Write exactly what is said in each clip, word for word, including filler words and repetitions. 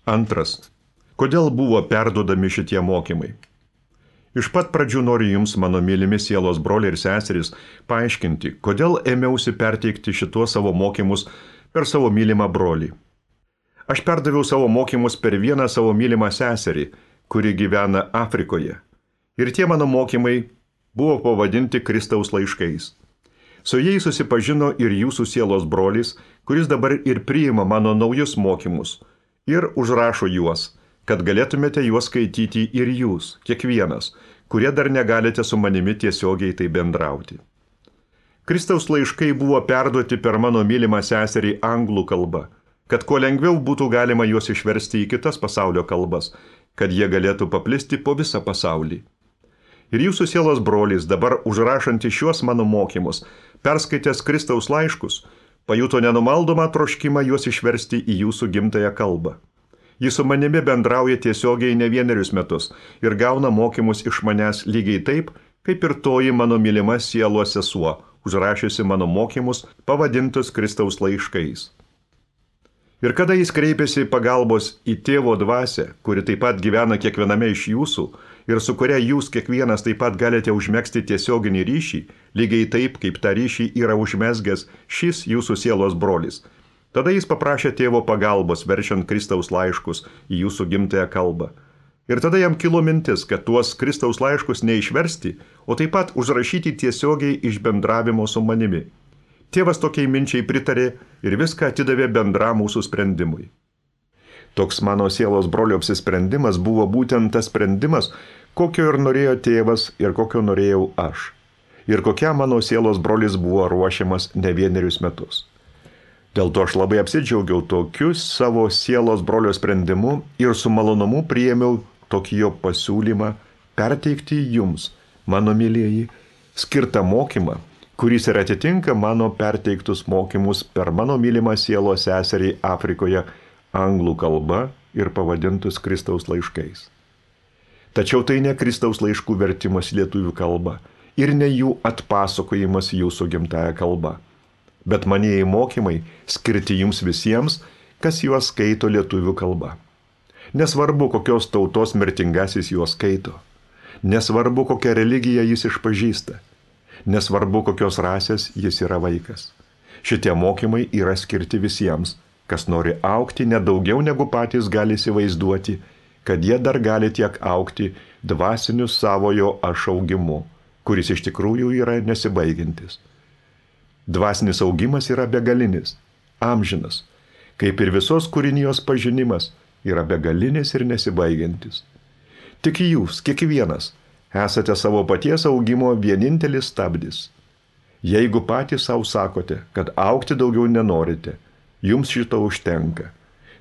Antras. Kodėl buvo perduodami šitie mokymai? Iš pat pradžių noriu jums, mano mylimi sielos broliai ir seserys, paaiškinti, kodėl ėmiausi perteikti šituos savo mokymus per savo mylimą brolį. Aš perdaviau savo mokymus per vieną savo mylimą seserį, kuri gyvena Afrikoje. Ir tie mano mokymai buvo pavadinti Kristaus laiškais. Su jais susipažino ir jūsų sielos brolis, kuris dabar ir priima mano naujus mokymus ir užrašo juos, kad galėtumėte juos skaityti ir jūs, kiekvienas, kurie dar negalite su manimi tiesiogiai tai bendrauti. Kristaus laiškai buvo perduoti per mano mylimą seserį anglų kalba, kad kuo lengviau būtų galima juos išversti į kitas pasaulio kalbas, kad jie galėtų paplisti po visą pasaulį. Ir jūsų sielos brolis, dabar užrašanti šiuos mano mokymus, perskaitęs Kristaus laiškus, pajuto nenumaldomą troškimą juos išversti į jūsų gimtąją kalbą. Jis su manimi bendrauja tiesiogiai ne vienerius metus ir gauna mokymus iš manęs lygiai taip, kaip ir toji mano mylima sielos sesuo, užrašiusi mano mokymus pavadintus Kristaus laiškais. Ir kada jis kreipėsi pagalbos į tėvo dvasią, kuri taip pat gyvena kiekviename iš jūsų ir su kuria jūs kiekvienas taip pat galite užmegzti tiesioginį ryšį, lygiai taip, kaip tą ryšį yra užmezgęs šis jūsų sielos brolis, tada jis paprašė tėvo pagalbos, verčiant Kristaus laiškus į jūsų gimtąją kalbą. Ir tada jam kilo mintis, kad tuos Kristaus laiškus neišversti, o taip pat užrašyti tiesiogiai iš bendravimo su manimi. Tėvas tokiai minčiai pritarė ir viską atidavė bendram mūsų sprendimui. Toks mano sielos brolio apsisprendimas buvo būtent tas sprendimas, kokio ir norėjo tėvas ir kokio norėjau aš. Ir kokia mano sielos brolis buvo ruošiamas ne vienerius metus. Dėl to aš labai apsidžiaugiau tokiu savo sielos brolio sprendimu ir su malonumu priėmiau tokį jo pasiūlymą perteikti jums, mano mylieji, skirtą mokymą, kuris ir atitinka mano perteiktus mokymus per mano mylimą sielos seserį Afrikoje anglų kalba ir pavadintus Kristaus laiškais. Tačiau tai ne Kristaus laiškų vertimas lietuvių kalba ir ne jų atpasakojimas jūsų gimtąją kalbą, bet manieji mokymai skirti jums visiems, kas juos skaito lietuvių kalba. Nesvarbu, kokios tautos mirtingasis juos skaito. Nesvarbu, kokią religiją jis išpažįsta. Nesvarbu, kokios rasės jis yra vaikas. Šitie mokymai yra skirti visiems, kas nori augti nedaugiau negu patys gali įsivaizduoti, kad jie dar gali tiek augti dvasiniu savojo aš augimu, kuris iš tikrųjų yra nesibaigiantis. Dvasinis augimas yra begalinis, amžinas, kaip ir visos kūrinijos pažinimas yra begalinis ir nesibaigiantis. Tik jūs, kiekvienas, esate savo paties augimo vienintelis stabdis. Jeigu patys savo sakote, kad augti daugiau nenorite, jums šito užtenka.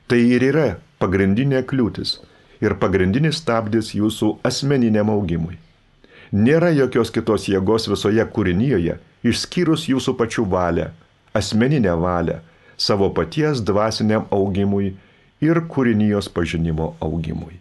Tai ir yra pagrindinė kliūtis ir pagrindinis stabdis jūsų asmeniniam augimui. Nėra jokios kitos jėgos visoje kūrinijoje, išskyrus jūsų pačių valią, asmeninę valią, savo paties dvasiniam augimui ir kūrinijos pažinimo augimui.